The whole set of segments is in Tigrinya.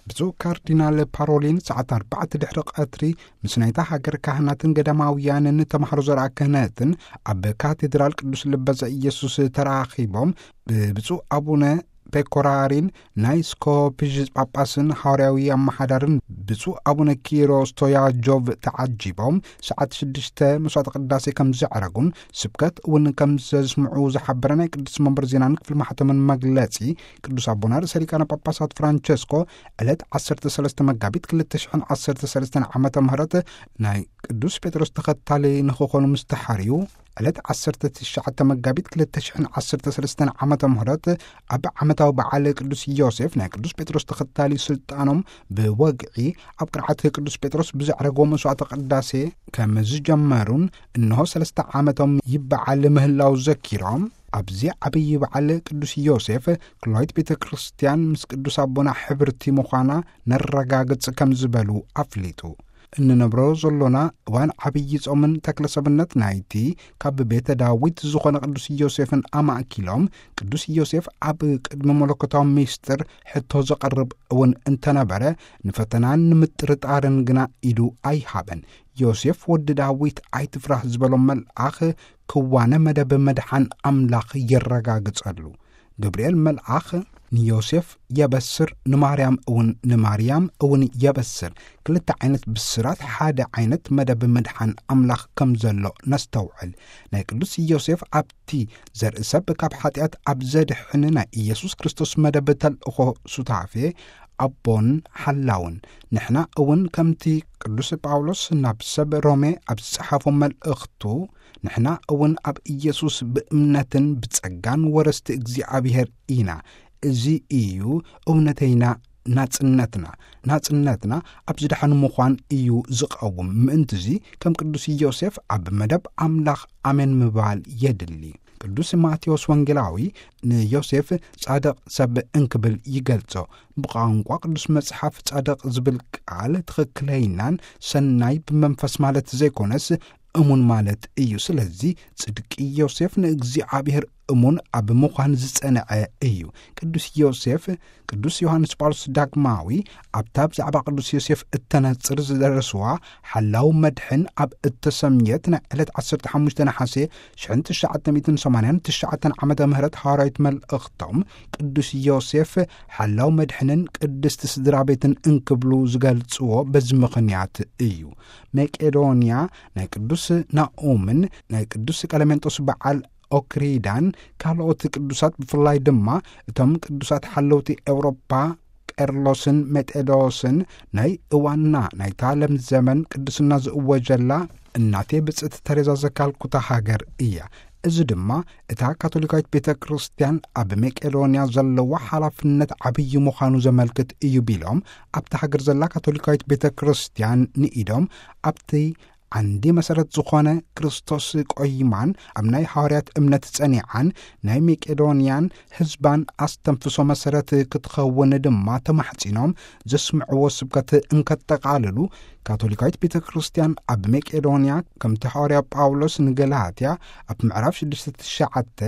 ብፁዕ ካርዲናል ፓሮሊን ሰዓት ኣርባዕተ ድሕሪ ቀትሪ ምስ ናይታ ሃገር ካህናትን ገዳማውያንን ተማሃሮ ዘርኣ ክህነትን ኣብ ካቴድራል ቅዱስ ልበ ዘኢየሱስ ተራኺቦም፣ ብብፁዕ ኣቡነ ፔኮራሪን ናይ ስኮፒዥ ጳጳስን ሃዋርያዊ ኣመሓዳርን ብፁዕ ኣቡነ ኪሮስ ቶያጆቭ ተዓጂቦም ሰዓት ሽዱሽተ መስዋዕተ ቅዳሴ ከም ዘዕረጉን ስብከት እውን ከም ዘስምዑ ዝሓበረ ናይ ቅዱስ መንበር ዜናን ክፍሊ ማሕተምን መግለጺ፣ ቅዱስ ኣቦና ርእሰ ሊቃነ ጳጳሳት ፍራንቸስኮ ዕለት ዓሰርተ ሰለስተ መጋቢት ክልተ ሽሕን ዓሰርተ ሰለስተን ዓመተ ምህረት ናይ ቅዱስ ጴጥሮስ ተኸታሊ ንኽኾኑ ምስ ተሓርዩ፣ ዕለት ዓሰርተ ትሽዓተ መጋቢት ክልተ ሽሕን ዓሰርተ ሰለስተን ዓመተ ምህረት ኣብ ዓመታዊ በዓል ቅዱስ ዮሴፍ ናይ ቅዱስ ጴጥሮስ ተኸታሊ ስልጣኖም ብወግዒ ኣብ ቅርዓት ቅዱስ ጴጥሮስ ብዘዕረግዎ መስዋዕተ ቅዳሴ ከም ዝጀመሩን፣ እንሆ ሰለስተ ዓመቶም ይበዓል ምህላው ዘኪሮም፣ ኣብዚ ዓብዪ በዓል ቅዱስ ዮሴፍ ክሎይት ቤተ ክርስቲያን ምስ ቅዱስ ኣቦና ሕብርቲ ምዃና ነረጋግጽ ከም ዝበሉ ኣፍሊጡ። እንነብሮ ዘሎና እዋን ዓብዪ ጾምን ተክለ ሰብነት ናይቲ ካብ ቤተ ዳዊት ዝኾነ ቅዱስ ዮሴፍን ኣማእኪሎም፣ ቅዱስ ዮሴፍ ኣብ ቅድሚ መለኮታዊ ምስጢር ሕቶ ዘቐርብ እውን እንተነበረ፣ ንፈተናን ንምጥርጣርን ግና ኢዱ ኣይሃበን። ዮሴፍ ወዲ ዳዊት ኣይትፍራህ ዝበሎ መልኣኽ ክዋነ መደብ መድሓን ኣምላኽ የረጋግጸሉ። ገብርኤል መልኣኽ ንዮሴፍ የበስር፣ ንማርያም እውን፣ ንማርያም እውን የበስር። ክልተ ዓይነት ብስራት፣ ሓደ ዓይነት መደብ ምድሓን ኣምላኽ ከም ዘሎ ነስተውዕል። ናይ ቅዱስ ዮሴፍ ኣብቲ ዘርኢ ሰብ ካብ ሓጢኣት ኣብ ዘድሕን ናይ ኢየሱስ ክርስቶስ መደብ ተልእኾ ሱታፌ ኣቦን ሓላውን። ንሕና እውን ከምቲ ቅዱስ ጳውሎስ ናብ ሰብ ሮሜ ኣብ ዝጸሓፎ መልእኽቱ፣ ንሕና እውን ኣብ ኢየሱስ ብእምነትን ብጸጋን ወረስቲ እግዚኣብሔር ኢና። እዚ እዩ እውነተይና ናጽነትና። ናጽነትና ኣብ ዝደሓኑ ምዃን እዩ ዝቐውም። ምእንትዚ ከም ቅዱስ ዮሴፍ ኣብ መደብ ኣምላኽ ኣሜን ምባል የድሊ። ቅዱስ ማቴዎስ ወንጌላዊ ንዮሴፍ ጻድቕ ሰብ እንክብል ይገልጾ። ብቋንቋ ቅዱስ መጽሓፍ ጻድቕ ዝብል ቃል ትኽክለይናን ሰናይ ብመንፈስ ማለት ዘይኮነስ እሙን ማለት እዩ። ስለዚ ጽድቂ ዮሴፍ ንእግዚኣብሔር እሙን ኣብ ምዃን ዝጸንዐ እዩ። ቅዱስ ዮሴፍ፣ ቅዱስ ዮሃንስ ጳውሎስ ዳግማዊ ኣብታ ብዛዕባ ቅዱስ ዮሴፍ እተነጽር ዝደረስዋ ሓላው መድሕን ኣብ እተሰምየት ናይ ዕለት ዓሰርተ ሓሙሽተ ነሓሴ ሽሕን ትሽዓተ ሚእትን ሰማንያን ትሽዓተን ዓመተ ምህረት ሃዋርያዊት መልእኽቶም፣ ቅዱስ ዮሴፍ ሓላው መድሕንን ቅድስቲ ስድራ ቤትን እንክብሉ ዝገልጽዎ በዚ ምኽንያት እዩ። መቄዶንያ ናይ ቅዱስ ናኦምን ናይ ቅዱስ ቀለሜንጦስ በዓል ኦክሪዳን ካልኦት ቅዱሳት፣ ብፍላይ ድማ እቶም ቅዱሳት ሓለውቲ ኤውሮጳ ቄርሎስን ሜጤዶስን፣ ናይ እዋንና ናይታ ለምዘመን ቅድስና ዝእወጀላ እናቴ ብጽእቲ ተሬዛ ዘካልኩታ ሃገር እያ። እዚ ድማ እታ ካቶሊካዊት ቤተ ክርስቲያን ኣብ መቄዶንያ ዘለዋ ሓላፍነት ዓብዪ ምዃኑ ዘመልክት እዩ ቢሎም፣ ኣብታ ሃገር ዘላ ካቶሊካዊት ቤተ ክርስቲያን ንኢዶም ኣብቲ ዓንዲ መሰረት ዝኾነ ክርስቶስ ቆይማን ኣብ ናይ ሃዋርያት እምነት ጸኒዓን ናይ መቄዶንያን ህዝባን ኣስተንፍሶ መሰረት ክትኸውን ድማ ተማሕጺኖም ዘስምዕዎ ስብከት እንከጠቓልሉ፣ ካቶሊካዊት ቤተ ክርስቲያን ኣብ መቄዶንያ ከምቲ ሃዋርያ ጳውሎስ ንገላትያ ኣብ ምዕራፍ ሽዱሽተ ትሽዓተ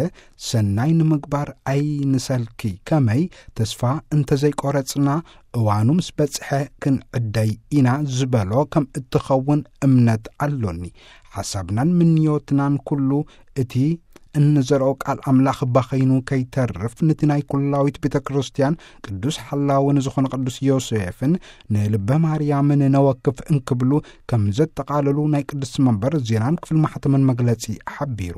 ሰናይ ንምግባር ኣይንሰልኪ፣ ከመይ ተስፋ እንተዘይቆረጽና እዋኑ ምስ በጽሐ ክንዕደይ ኢና ዝበሎ ከም እትኸውን እምነት ኣሎኒ። ሓሳብናን ምንዮትናን ኩሉ እቲ እንዘርኦ ቃል ኣምላኽ ባኸይኑ ከይተርፍ፣ ነቲ ናይ ኩላዊት ቤተ ክርስቲያን ቅዱስ ሓላዊ ንዝኾነ ቅዱስ ዮሴፍን ንልበ ማርያምን ነወክፍ እንክብሉ ከም ዘጠቓለሉ ናይ ቅዱስ መንበር ዜናን ክፍል ማሕተምን መግለጺ ሓቢሩ።